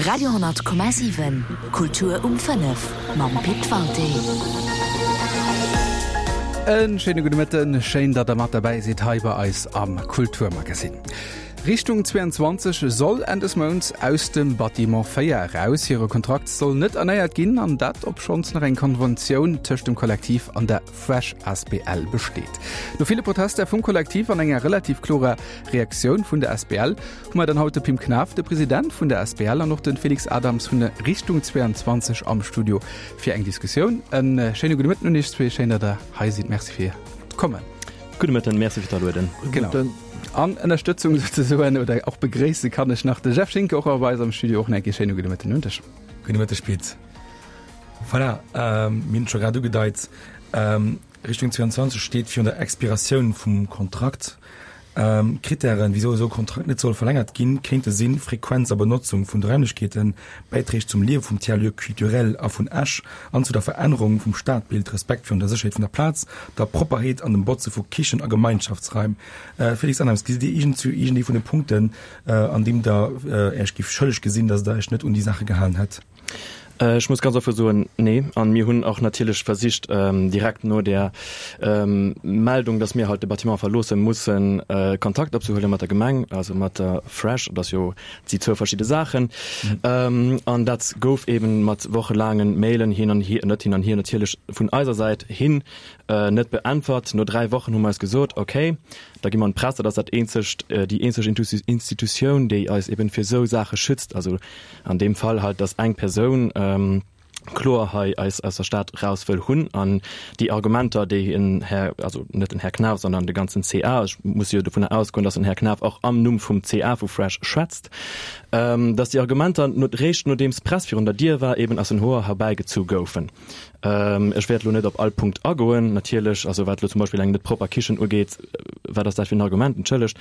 Radio,7 Kultur um 5 mam Pit Walté. En schéine gudde Mëtten, schéin datt der mat derbäi sidd hei bei eis am Kulturmagazin. Richtung 22 soll Enn des Mounts aus dem Bâtiment 4 eraus. Hire Kontrakt soll net erneiert ginn, an dat obschonns nach eng Konventioun tëscht dem Kollektiv an der Fresh asbl besteet. No ville Protester vum Kollektiv an enger relativ klorer Reaktioun vun der asbl hu mer dann haut de Pim Knaff, de President vun der asbl an och de Felix Adams vun der Richtung 22 am Studio fir eng Diskussioun. E schéine gudde Mëtten un Iech zwee. Schéin, datt Der hei sidd. Merci fir d'Kommen. Gudde Mëtten, Merci fir d'Alueden. Genau. An Ënnerstëtzung souzesoen oder och begréisse kann ech nach de Jeff Schinker och bei eis am Studio. Och nach e schéine gudde Mëtten un dech. Gudde Mëtteg, Pit. Voilà, mir hunn et scho grad ugedeit, Richtung 22 steet virun der Expiratioun vum Kontrakt. Krittären, wisou esou e Kontrakt net soll verlängert ginn, kéinte sinn, Frequenz a Benotzung vun de Raimlechkeeten, Bäiträg zum Liewe vum Tiers-lieu culturel a vun Esch an zu der Verännerung vum Stadbild, Respekt virun der Sécherheet vun der Plaz, der Propperheet an dem Botze vu Kichen a Gemeinschaftsraim. Félix Annems, gesitt Dir iergend zu iergendee vun de Punkten, an deem Der Äech giff schëlleg gesinn, datt Der Äech net un déi Saache gehalen hätt? Ech muss ganz offen soen, nee. An mir hunn och natierlech versicht, direkt no där Meldung, dass mir halt de Bâtiment verloosse mussen, Kontakt opzehuele mat der Gemeng, also mat der Fresh. Dat ass jo, dat si zwou verschidde Saachen. An dat gouf eeben mat wochelaangen Mailen hin an hier, net hin an hier natierlech, vun eiser Säit hin net beäntwert. No 3 Wochen hu mer eis gesot, okay, da gi mer an d'Press, dat ass dat eenzegt, déi eenzeg Institutioun, déi eis eeben fir esou Saache schützt. Also An deem Fall halt, dass eng Persoun kloer hei eis aus der Stad raus wëll hunn an déi Argumenter, déi en Här, also net den Här Knaff, sondern de ganzen CA, ech muss jo dovunner ausgoen, dass den Här Knaff och am Numm vum CA vu Fresh schwätzt, dass déi Argumenter no, réischt nodeems d'Press virun der Dier war, eben aus den Hoer herbäigezu goufen. Ech wäert elo net op all Punkt agoen, natierlech, also wat elo zum Beispill eng net propper Kichen ugeet, wat ass dat fir en Argument, entschëllegt.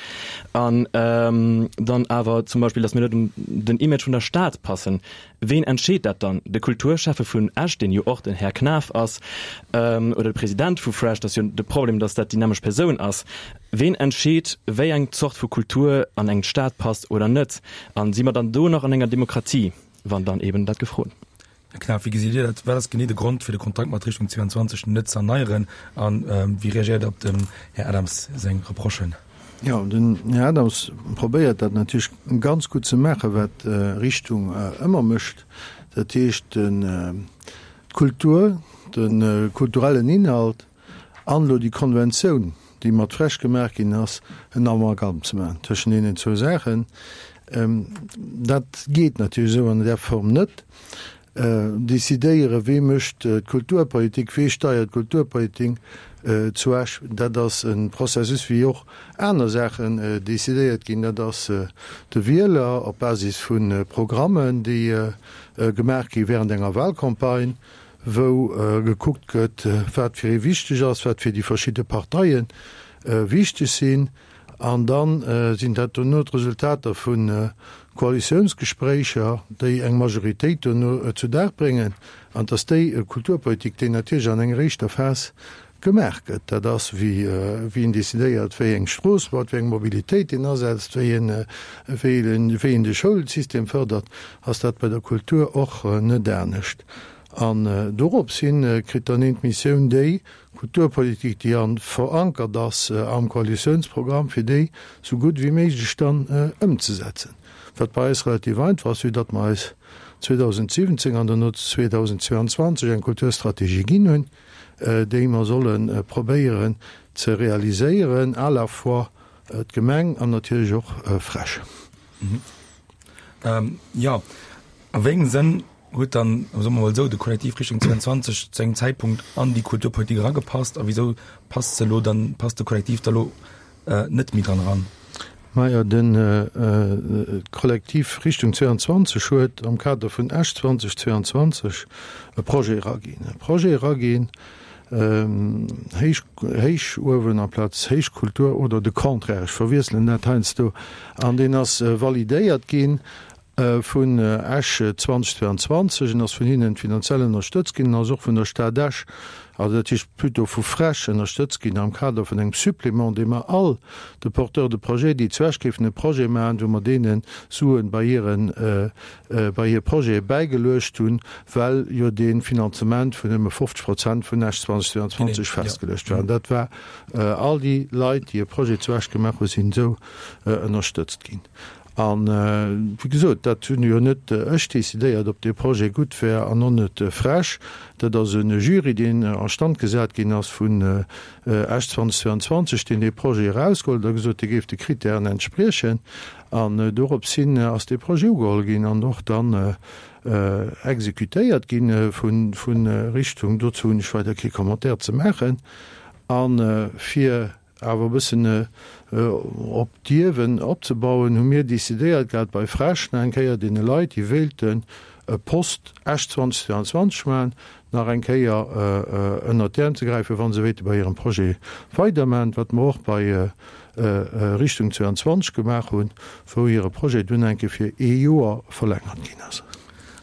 An dann awer zum Beispill, datt mir net un den Image vun der Stad passen. Ween entscheet dat dann? De Kulturschäffe vun Esch, deen jo och den Här Knaff ass, oder de President vu Fresh, dat ass jo de Problem, datt dat déi nämmlecht Persoun ass. Ween entscheet, wéi eng Zort vu Kultur an eng Stad passt oder net? An si mer dann do nach an enger Demokratie, wann dann eben dat gefrot. Här Knaff, wéi gesitt Dir dat? Wat ass genee de Grond, fir de Kontrakt mat Richtung 22 net ze erneieren? A wéi reagéiert Der op dem Här Adams seng Reprochen? Jo, den Här Adams probéiert dat natierlech ganz gutt ze maachen, wat Richtung ëmmer mécht. Dat heescht, d'Kultur, de kulturellen Inhalt an elo déi Konventioun, déi mat Fresch gemaach ginn ass, en Amalgam ze maachen tëschent deenen zwou Saachen. Dat geet natierlech esou an där Form net. Decidéieren, wee mécht d'Kulturpolitik, wee steiert d'Kulturpolitik zu Esch, dat ass e Processus, wéi och aner Saachen decidéiert ginn. Dat ass de Wieler op Basis vu Programmen, déi gemaach gi während enger Wahlcampagne, wou gekuckt gëtt, wat fir ee wichteg ass, wat fir déi verschidde Parteie wichteg sinn. An da sinn dat dono d'Resultater vu Koalitiounsgespréicher, déi eng Majoritéit dono zu Dag bréngen. An et ass déi Kulturpolitik, déi natierlech an enger éischter Phas gemaach gëtt. Dat ass, wéi een decidéiert, wéi eng Strooss baut, wéi eng Mobilitéit een asetzt, wéi een, wéi een de Schoulsystem fërdert, ass dat bei der Kultur och net anescht. An dorops hin kritt dann een d'Missioun, déi Kulturpolitik, déi an verankert ass am Koalitiounsprogramm, fir déi sou gutt wéi méiglech dann ëmzesetzen. Wat bei eis relativ einfach ass, vue datt mer eis 2017 an dono 2022 eng Kulturstrategie ginn hunn, déi mer solle probéieren ze realiséieren, à la fois d'Gemeng an natierlech och FrEsch. Jo, a wéi engem Sënn huet dann, soe mer mol esou, de Kollektiv Richtung 22 zu engem Zäitpunkt an déi Kulturpolitik eragepasst a wisou passt se elo dann, passt de Kollektiv da elo net méi dran eran? Majo, de Kollektiv Richtung 22 huet am Kader vun Esch 2022 e Projet eraginn. E Projet eraginn, Héich, Héichuewen amplaz Héichkultur oder de Contraire, ech verwiesselen dat heiansdo, an deen ass validéiert ginn. Vun Esch 2022 en ass vun hinnen finanziell ënnerstëtzt ginn en ass och vun der Stad Esch, also dat heescht plutôt vu FrEsch ënnerstëtzt ginn am Kader vun engem Supplément, dee mer all de Porteurs de projets, déi zu Esch géifen e Projet maachen, wou mer deene Suen bei hiren, bei hir Projete bäigeluecht hunn, well jo dee Finanzement vun nëmme 50 Prozent vun Esch 2022 festgeluecht war. An dat war all déi Leit, déi e Projet zu Esch gemaach hunn, sinn esou ënnerstëtzt ginn. An, wéi gesot, dat hunn jo net ech decidéiert, ob dee Projet gutt wär an och net frech. Dat ass e Jury, deen a Stand gesat ginn ass vun Esch 2022, deen dee Projet erausgeholl huet a gesot, dee géif de Kritären entspriechen. An dorops hin ass dee Projet ugeholl ginn an och dann exekutéiert gi vu Richtung. Dozou hunn ech weider kee Commentaire ze maachen. A fir Awer e bëssen op d'Ierwen opzebauen, hu mir decidéiert gehat, bei FrEsch nach eng Kéier deene Leit, déi wéilten e Post Esch 2022 maachen, nach eng Kéier ënnert d'Äerm ze gräifen, wa se wéilte bei hirem Projet weidermachen, wat mer och bei Richtung 22 gemaach hunn, wou hire Projet dunn eng Kéier fir ee Joer verlängert ginn ass.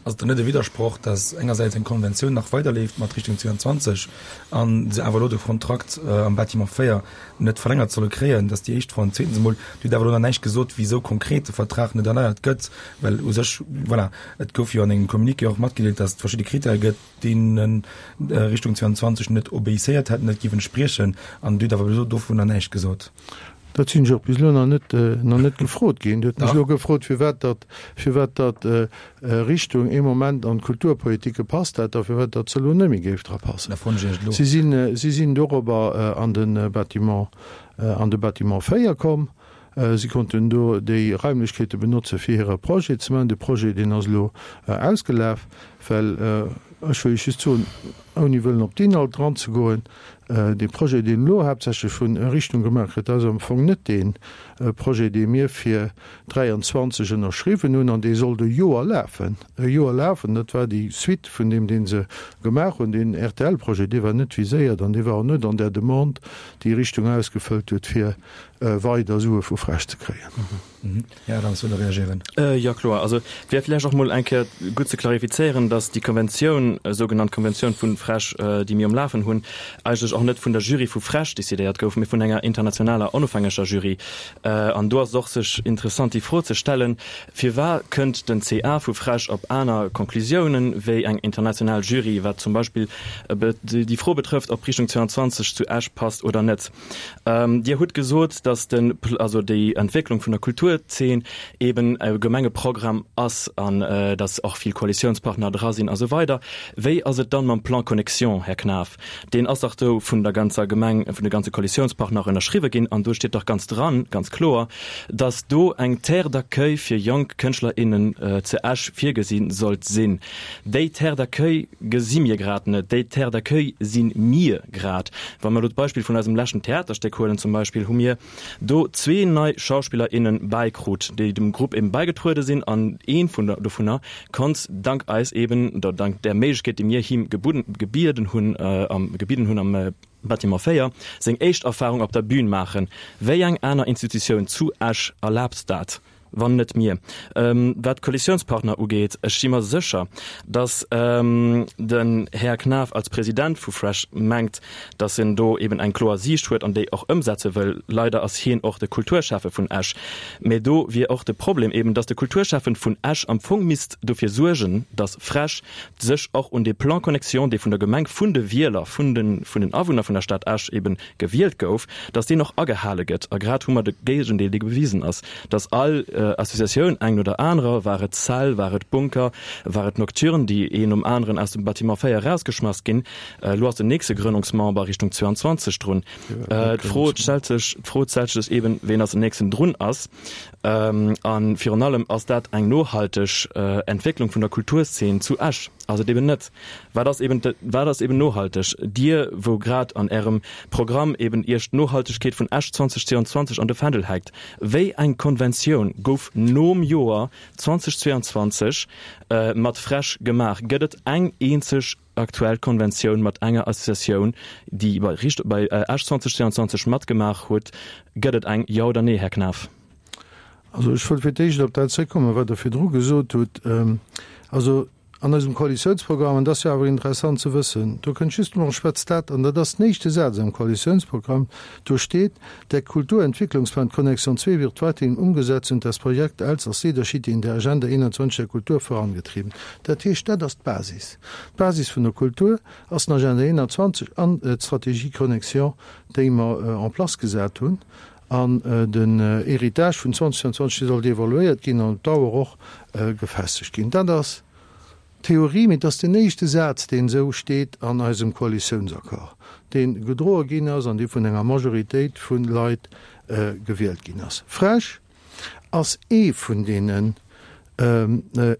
Ass et dann net e Widdersproch, dass engersäits eng Konventioun nach weiderleeft mat Richtung 22 a se awer elo de Kontrakt am Bâtiment 4 net verlängert solle kréien? Dat ass déi éischt Fro. An zweetens emol, Dir hutt awer elo nach näischt gesot, wisou konkret de Vertrag net erneiert gëtt, well u sech, voilà, et gouf jo an engem Communiqué och matgedeelt, dass et verschidde Krittäre gëtt, deene Richtung 22 net obéisséiert hätt, net géif entspriechen. An Dir hutt awer bis elo dovunner näischt gesot. Dat sinn ech och bis elo nach net, nach net gefrot ginn. Dir hutt mech elo gefrot, firwat datt, firwat datt Richtung ee Moment an d'Kulturpolitik gepasst hätt a firwat datt se elo net méi géif dra passen. Da froen ech Iech elo. Si sinn, si sinn dorobber an de Bâtiment, an de Bâtiment 4 komm. Si konnten do déi Raimlechkeete benotze fir hire Projet ze maachen. De Projet, deen ass elo ausgelaf, well ech wëll Iech just soen, ouni wëllen op d'Inhalt eranzegoen, Dee Projet, deen elo haaptsächlech vun Richtung gemaach gëtt, dat ass am Fong net dee Projet, dee mir fir 23 ënnerschriwwen hunn, an dee sollt e Joer lafen. E Joer lafen, dat war déi Suite vun deem, dee se gemaach hunn. Deen RTL-Projet, dee war net viséiert an dee war och net an där Demande, déi Richtung ausgefëllt huet, fir weider Sue vu FrEsch ze kréien. Här Adams, wëllt Der reagieren? Jo, kloer. Also et wär vläicht och mol eng Kéier gutt ze klarifizéieren, dass déi Konventioun, sougenannt Konventioun vu FrEsch, déi mir um Lafen hunn, eigentlech och net vun der Jury vu FrEsch decidéiert gouf, mee vun enger internationaler onofhängeger Jury. An do ass et och sech interessant déi Fro ze stellen, Firwat kënnt den CA vu FrEsch op aner Konklusiounen wéi eng international Jury, wat zum Beispill déi Fro betrëfft, ob Richtung 22 zu Esch passt oder net? Dir hutt gesot, datt den, also déi Entwécklung vun der Kulturzeen eben e Gemengeprogramm ass an datt och vill Koalitiounspartner dra sinn a sou weider. Wéi ass et dann mam Plan Connexion, Här Knaff? Deen ass dach do vun der ganzer Gemeng, vun de ganze Koalitiounspartner ënnerschriwwe ginn an do steet dach ganz dran, ganz kloer, datt do eng Terre d'accueil fir jonk Kënschtler, innen zu Esch virgesi sollt sinn. Déi Terre d'accueil gesi mir grad net. Déi Terre d'accueil si mir grad. Wa mer elo d'Beispill vun eisem leschten Theaterstéck huelen zum Beispill, hu mir do zwee nei Schauspiller, innen bäikrut, déi dem Grupp eben bäigetruede sinn an ee vun dovunner konnt dank eis eben, oder dank där Méiglechkeet, déi mir him gebudden, gebieden hunn, am, gebidden hunn am Bâtiment 4, seng éischt Erfahrung op der Bühn maachen. Wéi eng aner Institutioun zu Esch erlaabt dat? Wann net mir. Wat d'Koalitiounspartner ugeet, ech si mer sécher, datt den Här Knaff als President vu FrEsch mengt, datt en do eben eng kloer Siicht huet an déi och ëmsetze wëll. Leider ass hien och de Kulturschäffe vun Esch. Mä do wier och de Problem eben, datt de Kulturschäffen vun Esch am Fong misst dofir suergen, datt FrEsch sech och un dee Plan Connexion, dee vun der Gemeng, vun de Wieler, vun den Awunner vun der Stad Esch eben gewielt gouf, datt deen och agehale gëtt. A grad hu mer de Géigendeel, dee bewisen ass, datt all Associatioun, eng no der anerer, war et Cell, war et Bunker, war et Nocturne, déi een nom aneren aus dem Bâtiment 4 erausgeschmass ginn. Elo ass den nächste Grënnungsmember Richtung 22 drun. D'Fro stellt sech, d'Fro stellt sech eben, ween als nächsten drun ass. A virun allem, ass dat eng nohalteg Entwécklung vun der Kulturszeen zu Esch? Ass et eben net. Wat ass eben, wat ass eben nohalteg? Dir, wou grad an Ärem Programm eben Iech d'Nohaltegkeet vun Esch 2022 an de Fändel hänkt, wéi eng Konventioun gouf nom Joer 2022 mat FrEsch gemaach? Gëtt et eng eenzeg aktuell Konventioun mat enger Associatioun, déi bei Richt, bei Esch 2022 matgemaach huet? Gëtt et eng, jo oder nee, Här Knaff? Also ech wëll fir d'éischt op dat zréckkommen, wat Der virdru gesot hutt. Also an eisem Koalitiounsprogramm, an dat ass jo awer interessant ze wëssen, do kënnt just emol, schwätzt dat, an dat ass den éischte Saz am Koalitiounsprogramm, do steet, Der Kulturentwicklungsplan Connexion 2 wird weiterhin umgesetzt und das Projekt Elsass Leadership in der Agenda 21 der Kultur vorangetrieben. Dat heescht, dat ass d'Basis. D'Basis vun der Kultur ass den Agenda 21 an d'Strategie Connexion, déi mer en place gesat hunn. An den Héritage vun 2022, dee sollt evaluéiert ginn an op Dauer och gefestegt ginn. Dat ass Theorie, mee et ass den éischte Saz, deen esou steet an eisem Koalitiounsaccord, dee gedroe ginn ass an dee vun enger Majoritéit vu Leit gewielt ginn ass. Frech ass ee vun deenen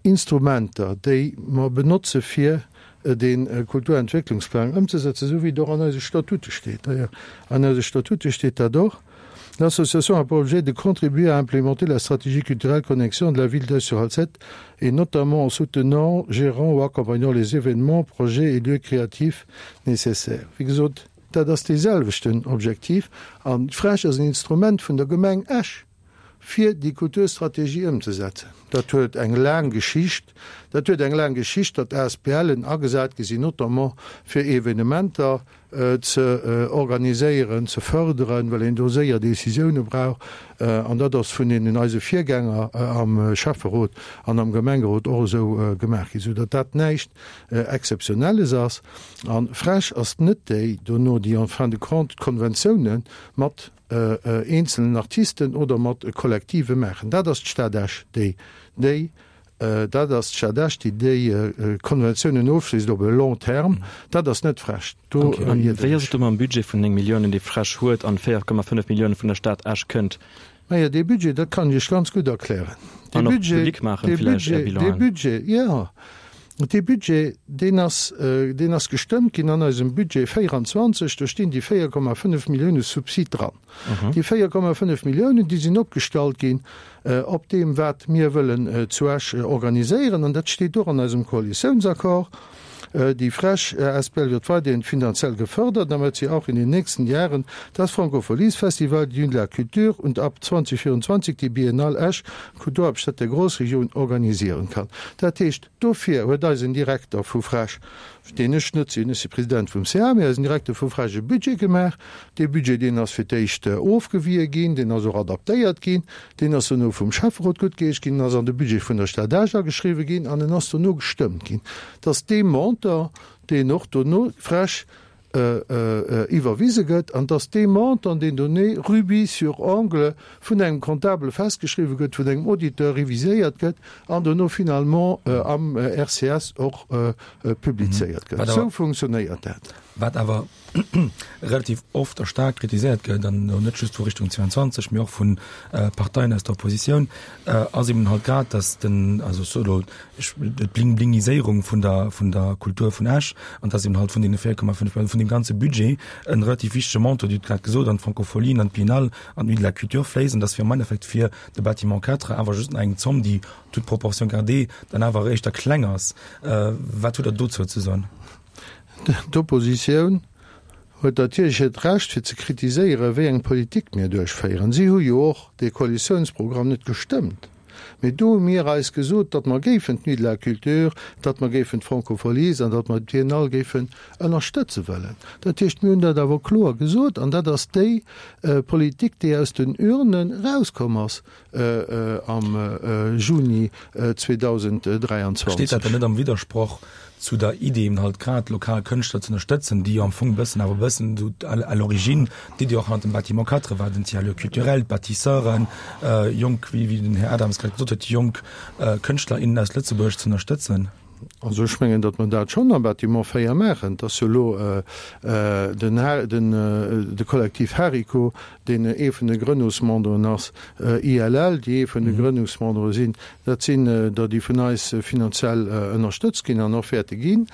Instrumenter, déi mer benotze fir dee Kulturentwécklungsplang ëmzesetzen, esou wéi et och an eise Statute steet. D'ailleurs, an eise Statute steet dat och, L'association a pour objet de contribuer à implémenter la stratégie culturelle Connexion de la ville d'Esch-sur-Alzette et notamment en soutenant, gérant ou accompagnant les événements, projets et lieux créatifs nécessaires. Wéi gesot, dat ass deeselwechten Objektiv an d'FRESH ass en Instrument vun der Gemeng Esch. fir déi Kulturstrategie ëmzesetzen. Dat huet eng laang Geschicht. Dat huet eng laang Geschicht, datt ASBLen agesat gi sinn, notamment fir Evenementer ze organiséieren, ze fërderen, well een do séier Décisioune brauch. An dat ass vun deenen eise Virgänger am Schäfferot an am Gemengerot och esou gemaach ginn, soudatt dat näischt Exzeptionelles ass. A FrEsch ass net déi dono, déi en fin de compte d'Konventioune mat eenzelen Artisten oder mat Kollektive maachen. Dat ass d'Stad Esch, déi déi, dat ass d'Stad Esch, déi déi Konventiounen ofschléisst op e long terme. Dat ass net FrEsch. Do Okay. An wéi ass et do mam Budget vun 9 Milliounen, dee FrEsch huet an 4,5 Milliounen vun der Stad Esch kënnt? Naja, dee Budget, dat kann ech Iech ganz gutt erklären. Dee Budget, dee Budget, dee Budget, jo, dee Budget, deen ass, deen ass gestëmmt ginn an eisem Budget 24, do stinn déi 4,5 Millioune Subsid dran. Déi 4,5 Milliounen, déi sinn opgestallt ginn op deem, wat mir wëllen zu Esch organiséieren, an dat steet och an eisem Koalitiounsaccord. Die FrEsch asbl wird weiterhin finanziell gefördert, damit sie auch in den nächsten Jahren das Francofolies-Festival, die Nuit de la Culture und ab 2024 die Biennale Esch, Kulturhauptstadt der Großregion, organisieren kann. Dat heescht, dofir huet eisen Direkter vu FrEsch, deen ech net sinn, ech si President vum CA, mee eisen Direkter vu FrEsch e Budget gemaach. Dee Budget, deen ass fir d'éischt ofgewie ginn, deen ass och adaptéiert ginn, Deen ass dono vum Schäfferot guttgeheescht ginn, en ass an de Budget vun der Stad Esch ageschriwwen ginn an en ass dono gestëmmt ginn. Et ass dee Montant, deen och dono frech iwwerwise gëtt an et ass dee Montant, deen doné rubis sur ongle vun engem Comptable festgeschriwwen gëtt, vun engem Auditeur reviséiert gëtt an dono finalement am RCS och publizéiert gëtt. Esou funktionéiert dat. Wat awer relativ oft a staark kritiséiert gëtt, an elo net just vu Richtung 22, mee och vu Parteien aus der Oppositioun, ass eben halt grad, datt den, also ech soe elo, ech, d'Bling-Blingiséierung vun der, vun der Kultur vun Esch, an datt eben halt vun deene 4,5, vun deem ganze Budget e relativ wichtege Montant, Dir hutt grad gesot, an d'Francofolien, an d'Biennale, an d'Nuit de la Culture fléisst, an datt fir am Endeffekt fir de Bâtiment 4 awer just nach eng Zomm, déi, toute proportion gardée, dann awer éischter kleng ass. Wat hutt Der dozou ze soen? D'Oppositioun huet natierlech hiert Recht fir ze kritiséieren, wéi eng Politik mir duerchféieren. Si hu jo och dee Koalitiounsprogramm net gestëmmt. Mee do hu mir eis gesot, datt mer géifen d'Nuit de la Culture, datt mer géifen d'Francofolies an datt mer d'Biennale géifen ënnerstëtze wëllen. Dat heescht, mir hunn dat awer kloer gesot an dat ass déi Politik, déi aus den Urnen erauskomm ass. am Juni 2023. Steet dat dann net am Widdersproch zu der Idee, eben halt grad lokal Kënschtler ze ënnerstëtzen, déi jo am Fong e bëssen, awer e bëssen esou à l'origine d'Idee och hannert dem Bâtiment 4 war, den Tiers-lieu culturel, d'Bâtisseuren, jonk, wéi den Här Adams grad gesot huet, jonk Kënschtler, innen aus Lëtzebuerg ze ënnerstëtzen? Also ech mengen, datt mer dat schonn am Bâtiment 4 maachen. Et ass jo elo den, de Kollektiv Hariko, deen ee vun de Grënnungsmemberen ass, ILL, déi ee vun de Grënnungsmembere sinn. Dat sinn der, déi vun eis finanziell ënnerstëtzt ginn an och wäerte ginn.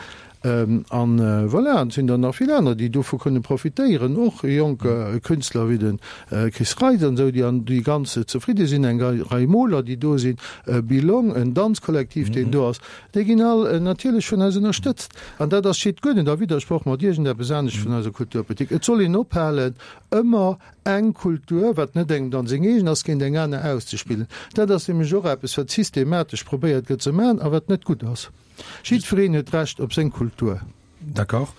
An voilà, an et sinn der nach vill aner, déi dovu kënne profitéieren, och jonk Künstler wéi de Chris Reitz an esou, déi an déi ganz zefridde sinn, eng Rei Moler, déi do sinn, Bilong, en Danzkollektiv, deen do ass, déi ginn all natierlech vun eis ënnerstëtzt. An dat ass, steet guer net a Widdersproch mat iergendeppes anescht vun eiser Kulturpolitik. Et soll een ophalen, ëmmer. Eng Kultur, wat net engem dann seng eegen ass, géint eng aner auszespillen. Dat ass nämlech och eppes, wat systematesch probéiert gëtt ze maachen a wat net gutt ass. Jiddwereen huet d'Recht op seng Kultur. D'accord.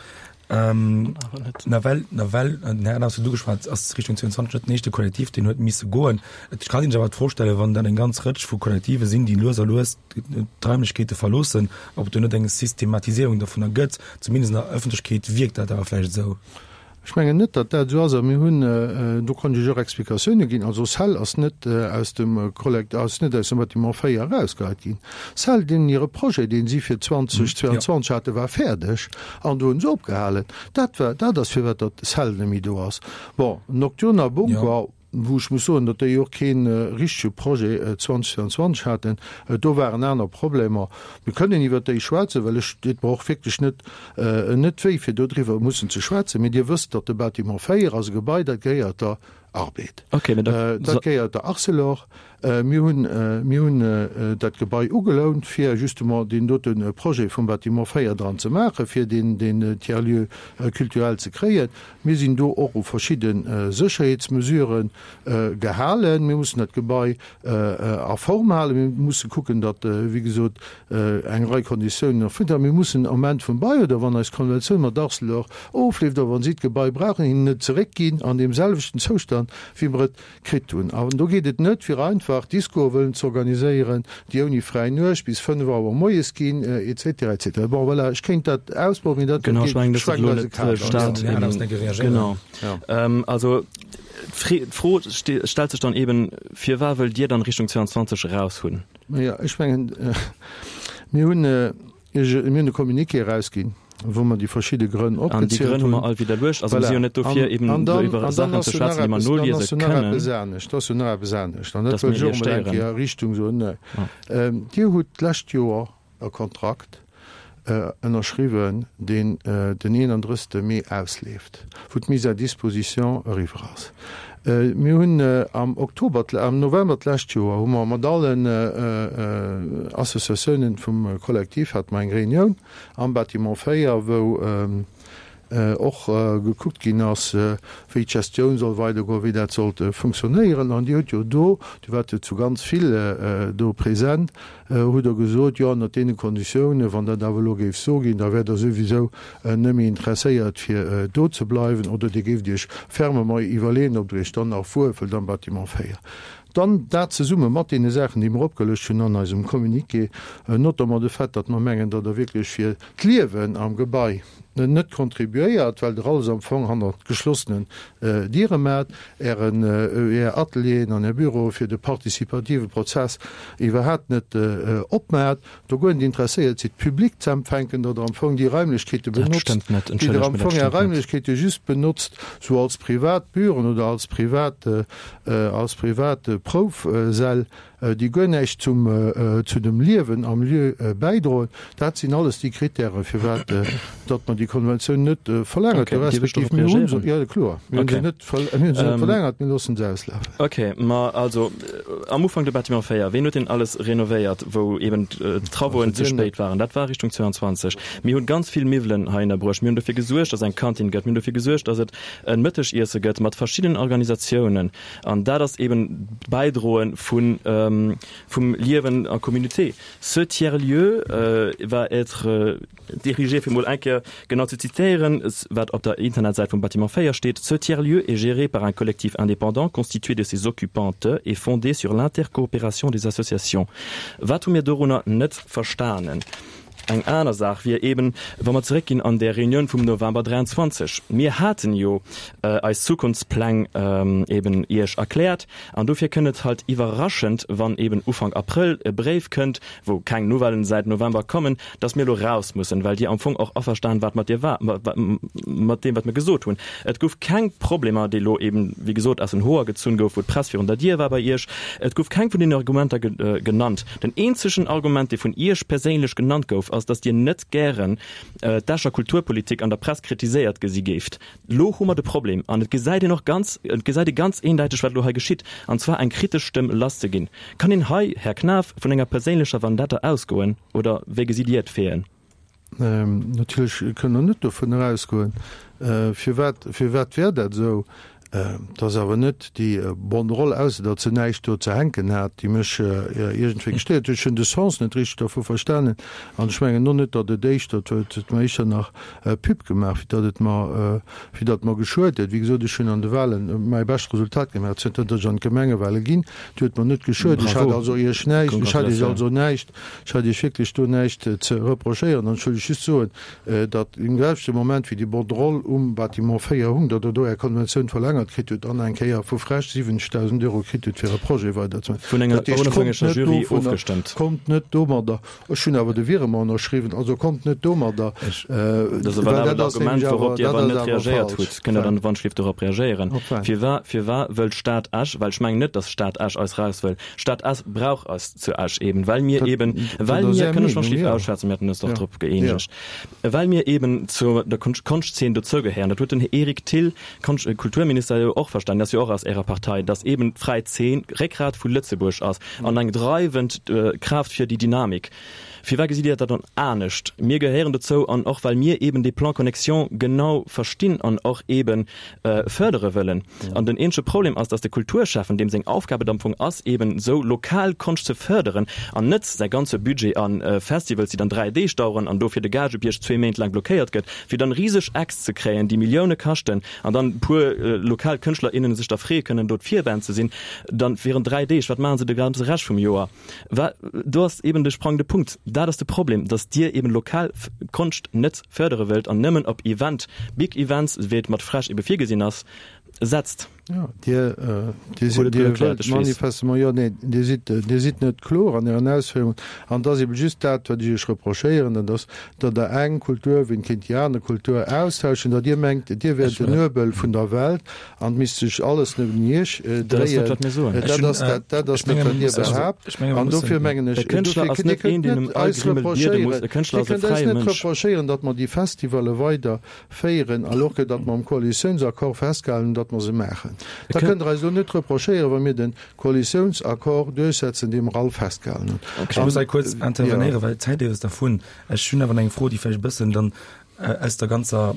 Nawell, nawell, den Här Adams huet ugeschwat, ass Richtung 22 net den éischte Kollektiv, deen huet misse goen. Et kann een sech awer d'Fro stellen, wann dat eng ganz Rëtsch vu Kollektive sinn, déi lues a lues d'Raimlechkeete verloossen, ob et do net eng Systematisierung dovunner gëtt. Zumindest an der Ëffentlechkeet wierkt dat awer vläicht esou. Ech mengen net, datt dat esou ass. A mir hunn, do konnt ech och Explikatioune ginn, also Cell ass net aus dem Kollekt, ass net aus dem Bâtiment 4 erausgeheit ginn. Cell, deenen hire Projet, dee si fir 2022 haten, war fäerdeg an do hunn se opgehalen. Dat war, dat ass firwat datt Cell net méi do ass. Bon, Nocturne a Bunker, wou ech muss soen, datt déi och kee richtege Projet 2022 haten, do waren aner Problemer. Mir kënnen iwwert déi schwätzen, well ech deet mer och wierklech net net wéi, fir dodriwwer mussen ze schwätzen. Mee Dir wësst, datt de Bâtiment 4 ass e Gebai, dat gehéiert der Arbed, dat gehéiert der Arcelor. Mir hunn mir hunn dat Gebai ugelount, fir justement deen dote Projet vum Bâtiment 4 dran ze maachen, fir deen deen Tiers-lieu culturel ze kréien. Mir sinn do och u verschidde Sécherheetsmesurë gehalen. Mir mussen dat Gebai a Form halen. Mir musse kucken, datt, wéi gesot, eng Rei Konditiounen erfüllt ginn. Mir mussen am Enn vum Bail oder wann eis Konventioun mat Arcelor ofleeft oder wa si d'Gebai brauchen, hinnen et zeréckginn an deem selwechten Zoustand, wéi mer et kritt hunn. An do geet et net, fir einfach Discoe wëllen ze organiséieren, déi ouni fräi Nuecht bis 5 Auer moies ginn, et cetera, et cetera. Bon, voilà, ech kéint dat ausbauen, mee dat Genau, ech mengen, dass et elo net Staat eben. Genau. Also d'Fro stellt sech dann eben, Firwat wëllt Dir dann Richtung 22 eraus hunn? Naja, ech mengen, mir hunn. Mir hunn e Communiqué erausginn, wou mer déi verschidde Grënn opgezielt hunn. An déi Grënn hu mer all widderluecht. Also mir si jo net dofir, eben do iwwer Saachen ze schwätzen, déi mer noliese kënnen. Dann ass jo nach eppes anescht. An dat wëll ech och emol eng Kéier Richtung soen. Dir hutt d'lescht Joer e Kontrakt ënnerschriwwen, deen den 31. Mee ausleeft, wou d'Mise à disposition eriwwer ass. Mir hunn am Oktober, am November d'lescht Joer hu mer mat allen Associatiounen vum Kollektiv hate mer eng Reunioun am Bâtiment 4, wou och gekuckt ginn ass, wéi d'Gestioun soll weidergoen, wéi dat sollt funktionéieren. An Dir hutt jo do, Dir waart jo zu ganz vill do present, hutt Der gesot, jo, ënnert deene Konditiounen, wann dat awer elo géif sou ginn, da wäert Der souwisou net méi interesséiert fir do ze bleiwen oder Dir géift Iech fermement iwwerleeën, ob Der Iech dann nach wuelfëllt am Bâtiment 4. Dann dat zesumme mat deene Saachen, déi mer opgelëscht hunn an eisem Communiqué, notamment de Fait, datt mer mengen, datt Der wierklech fir d'Liewen am Gebai net contribuéiert, well Der alles am Fong hannert geschlossenen Diere maacht, Ären, Är Atelieren an Är Büroe fir de participative Prozess iwwerhaapt net opmaacht, do guer net interesséiert sidd, d'Public ze empfänken, datt Der am Fong déi Raimlechkeete benotzt, déi Der am Fong Är Raimlechkeete just benotzt sou als privat Büroen oder als privat, als privat Proufsäll. déi guer näischt zum, zu dem Liewen am Lieu bäidroen. Dat sinn alles déi Kritären, firwat datt mer déi Konventioun net verlängert hu respektiv mir hu se, jo kloer, mir hu se net, mir hu se net verlängert, mir loosse se auslafen. Okay, ma also am Ufank de Bâtiment 4, ween huet deen alles renovéiert, wou eben d'Travauxen ze spéit waren? Dat war Richtung 22. Mir hunn ganz vill Miwwelen hei ënnerbruecht. Mir hunn dofir gesuergt, datt eng Kantin gëtt. Mir hunn dofir gesuergt, datt et e Mëttegiesse gëtt mat verschiddenen Organisatiounen. An dat ass eben d'Bäidroe vun, vum Liewen en communauté. Ce tiers-lieu va être dirigé, fir mol eng Kéier genau ze zitéieren, wat op der Internetsäit vum Bâtiment 4 steet, Ce tiers-lieu est géré par un collectif indépendant constitué de ses occupantes et fondé sur l'intercoopération des associations. Wat hu mir dorunner net verstanen? Eng aner Saach wier eben, wa mer zeréckginn an där Reunioun vum November 23. Mir haten jo eis Zukunftspläng eben Iech erkläert an dofir kënnt et halt iwwerraschend, wann eben Ufank Abrëll e Bréif kënnt, wou keng Nouvellen säit November kommen, dass mir elo raus mussen, well Dir am Fong och averstan waart mat dir mat deem, wat mir gesot hunn. Et gouf keng Problemer, déi elo eben, wéi gesot, aus den Hoer gezunn gouf, wou d'Press virun der Dier war bei Iech. Et gouf keng vun deenen Argumenter genannt. Den eenzegen Argument, dee vun Iech perséinlech genannt gouf, ass, dass Dir net gären d'Escher Kulturpolitik an der Press kritiséiert gesi géift. Lo hu mer de Problem, an et gesäit een och ganz, et gesäit ee ganz eendäiteg, wat elo hei geschitt, an zwar eng kritesch Stëmm lasszeginn. Kann een hei, Här Knaff, vun enger perséinlecher Vendetta ausgoen, oder wéi gesitt Dir d'Faiten? Natierlech kënne mer net dovun erausgoen. Firwat, firwat wär dat esou? Et ass awer net déi Banderole, ausser datt se näischt do ze hänken hat, déi mech iergendwéi gestéiert huet. Ech hunn de Sens net richteg dervu verstanen an ech mengen och net, datt et éischter, et huet mer éischter nach Pub gemaach, wéi datt et mer, wéi datt mer geschuet huet. Wéi gesot, ech hunn an de Wahlen mäi bescht Resultat gemaach, zënter datt ech an d'Gemengewahlen ginn. Et huet mer net geschuet. Ech hat also Iech näischt, ech hat Iech also näischt, ech hat Iech wierklech do näischt ze reprochéieren an ech wëll Iech just soen, datt im selwechte Moment wéi déi Banderole um Bâtiment 4 hung, datt Der do Är Konventioun verlängert kritt hutt an eng Kéier vu FrEsch 70.000 Euro kritt hutt, fir e Projet weiderzemaachen. Vun enger Dat heescht, kommt onofhängeger net Jury dovunner, ofgestëmmt. kommt net domadder, ech hunn awer de Virement ënnerschriwwen, also kommt net domadder, Dat ass e well valabelt dat ass Argument, nämlech awer, wourop Dir dat awer ass net awer reagéiert falsch. hutt. Kënnt Der dann wannschlift dorop reagéieren? Op wat? Firwa, firwa wëll d'Stad Esch, well ech mengen net, datt d'Stad Esch eis raus wëll, d'Stad Esch brauch eis zu Esch eben, well mir Dat, eben, dat well ass mir, Är kënne ech Meenung, wannschlift jo. ausschwätzen, mir haten eis dach Jo, drop jo. gëeenegt, Well mir eben zu der Konschtzeen dozougehéieren, dat huet den Här Eric Thill, Konscht Kulturminister, jo och verstanen, dee ass jo och aus Ärer Partei, datt eben d'fräi Zeen Réckgrat vu Lëtzebuerg ass an eng dreiwend Kraaft fir déi Dynamik. Firwat gesitt Dir dat dann anescht? Mir gehéieren dozou an och well mir eben dee Plan Connexion genau verstinn an och eben fërdere wëllen. An den eenzege Problem ass, dass de Kulturschäffen, deem seng Aufgab et am Fong ass, eben esou lokal Konscht ze fërderen an net säi ganze Budget a Festivals, déi dann 3 Deeg daueren an dofir de Gagebierg zwee Méint laang blockéiert gëtt, fir dann riseg Acts ze kréien, déi Millioune kaschten an dann e puer lokal Kënschtler, innen sech da freeë kënnen, do d'Virband ze sinn, dann während 3 Deeg. Wat maachen se de ganze Rescht vum Joer? Wa, do ass eben de sprangende Punkt. Dat ass de Problem, dass Dir eben lokal Konscht net fërdere wëllt an nëmmen op Event, big Events, wéi et mat Fresh ebe virgesinn ass, setzt. Jo, Dir, Dir sidd, Dir wëllt manifestement, jo, nee, Dir sidd, Dir sidd net kloer an Ären Ausféierungen. An et ass eben just dat, wat ech Iech reprochéieren, dat ass, datt Der eng Kultur wéint géint déi aner Kultur austauschen, datt Dir mengt, Dir wäert den Nuebel vun der Welt an et misst sech alles nëmmen Iech dréien. Dat ass dat, dat ass dat, wat Dir behaapt. An dofir mengen ech, dofir, Dir kënnt net eis reprochéieren, Dir kënnt eis net reprochéieren, datt mer déi Festivalle weider féieren, alors que datt mer am Koalitiounsaccord festgehalen hunn, datt mer se maachen. Da kënnt Der eis elo net reprochéieren, wa mir de Koalitiounsaccord duerchsetzen, dee mer all festgehalen hunn. Ech muss hei kuerz intervenéieren, well d'Zäit eeft dervun. Ech hunn awer nach eng Fro, déi vläicht e bëssen dann aus der ganzer,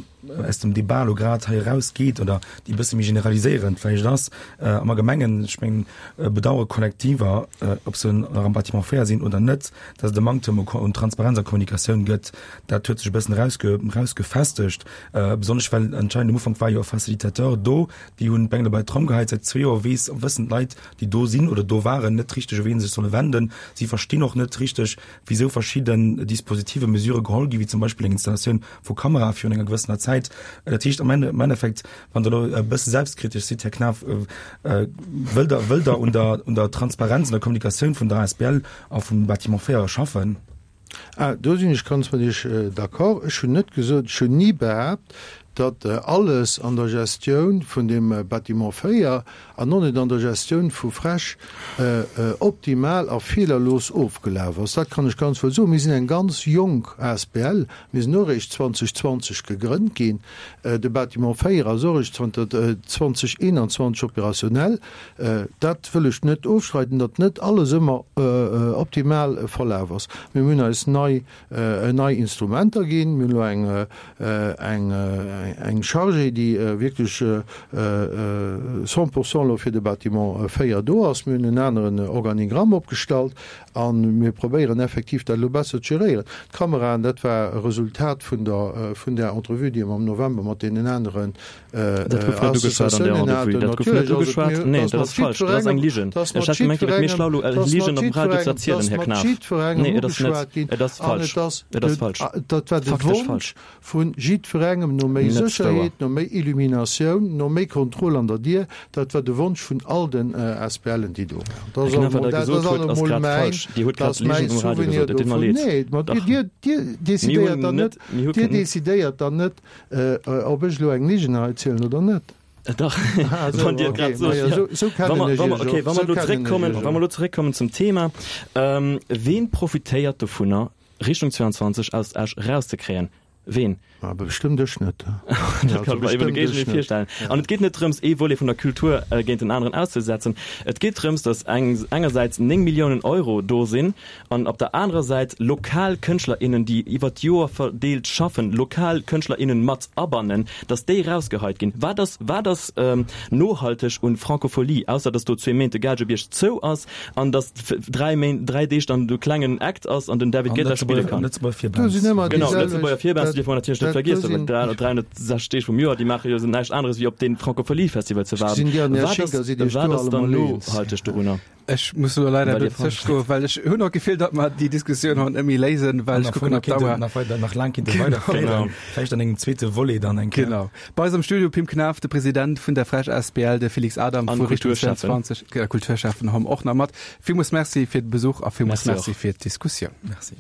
aus dem Debat elo grad hei erausgeet oder déi e bësse méi generaliséierend vläicht ass. Am Allgemengen, ech mengen, bedauere Kollektiver, ob se nach am Bâtiment 4 sinn oder net, dass et e Manktem un Transparenz a Kommunikatioun gëtt. Dat huet sech e bëssen erausge, erausgefestegt, besonnesch well anscheinend um Ufank war jo e Facilitateur do, déi hunn d'Bengele bei d'Tromm geheit. Säit zwee Joer weess, wëssen d'Leit, déi do sinn oder do waren, net richteg, u wien se sech solle wenden. Si verstinn och net richteg, wisou verschidden Dispositive, Mesure geholl ginn, wéi zum Beispill eng Installatioun vu Kamerae virun enger gewëssener Zäit. Dat heescht am Ende, am Endeffekt, wann Der elo e bësse selbstkritesch sidd, Här Knaff, wëllt Der, wëllt Der un der, un der Transparenz, un der Kommunikatioun vun der asbl a vum Bâtiment 4 schaffen? Ah, do sinn ech ganz mat Iech d'accord. Ech hunn net gesot, ech hunn ni behaapt, datt alles an der Gestioun vun deem Bâtiment 4 an och net an der Gestioun vu FrEsch optimal a feelerlos ofgelaf ass. Dat kann ech ganz wuel soen. Mir sinn eng ganz jonk asbl. Mir sinn och eréischt 2020 gegrënnt ginn. De Bâtiment 4 ass och eréischt zanter 2021 opérationnel. Dat wëll ech net ofstreiden, datt net alles ëmmer optimal verlaf ass. Mir hunn eis nei nei Instrumenter ginn. Mir hunn elo eng eng eng Chargée, déi wierklech 100 pourcent elo fir de Bâtiment 4 do ass. Mir hunn en aneren Organigramm opgestallt a mir probéieren effektiv dat elo besser ze geréieren. D'Kameraen, dat war e Resultat vun der vun där Entrevue, déi mer am November mat deenen aneren Dat gouf net ugeschwat an der Entrevue. Dat gouf net ugeschwat. Nee, dat ass falsch. Dat ass eng Ligen. Ech hat gemengt, Dir wiert méi schlau, elo Ligen op dem Radio ze erzielen, Här Knaff. Nee, et ass net. Et ass falsch. Et ass falsch. Dat war de Faktesch Wonsch falsch. vu jiddwerengem no méi Net wouer. Sécherheet, no méi Illuminatioun, no méi Kontroll an der Dier. Dat war de Wonsch vun all den ASBLen, déi do waren. Här Dat ass Knaff, wat allemol Der dat gesot ass hutt, ass allemol grad mäin, falsch. Dir hutt dat grad ass mäi Ligen um Radio Souvenir gesot. Et deet mer dovun. leed. Nee, ma Dach. Dir, Dir Mir decidéiert hunn dann net, net, mir hu Dir keng. decidéiert dann net, Ob ech elo eng Ligen hei zielen oder net? Dach, Ah, esou, wann Dir et okay. grad sot, Majo, ja. esou, esou Wa kennen mer, ech wa mer, Iech okay, och. wa mer Esou elo kennen ech zréckkommen, Iech wa mer och. elo zréckkommen zum Thema, Ween profitéiert dovunner, Richtung 22 aus Esch erauszekréien? Ween? Ma bestëmmt ech net. Dat kann ech mer iwwer de Géigendeel virstellen. An et geet net drëms, ee Volet vun der Kultur géint den aneren auszesetzen. Et geet drëms, datt eng engersäits 9 Milliounen Euro do sinn an op der anerer Säit lokal Kënschtler, innen, déi iwwer d'Joer verdeelt schaffen, lokal Kënschtler, innen mat abannen, datt déi erausgeheit ginn. Wat ass, wat ass nohalteg un Francophonie, ausser datt do zwee Méint de Gaalgebierg zou ass an datt 3 Méint, 3 Deeg dann de klengen Act ass an den David Guetta spille kann. Lëtzebuerger Virbands. Genau, Lëtzebuerger Virbands dierfe mer natierlech net vergiessen, well 360 Deeg vum Joer, déi maache jo näischt aneres wéi op dee Francophonie-Festival ze waarden. Wat ass, wat ass dann nohalteg dorunner? Ech muss elo leider e bëssen zëschgoen, well ech hunn och d'Gefill, datt mer déi Diskussioun haut net méi léisen, well ech kucken op d'Auer. Nach weider, nach laang kinnt e weiderféieren, vläicht an engem zweete Volet dann eng Kéier. Genau. Bei eis am Studio Pim Knaff, de President vun der Frech asbl, de Felix Adam vu Richtung 22, Kulturschäffen hom och nach mat. Villmools Merci fir de Besuch a villmools Merci fir d'Diskussioun. Merci.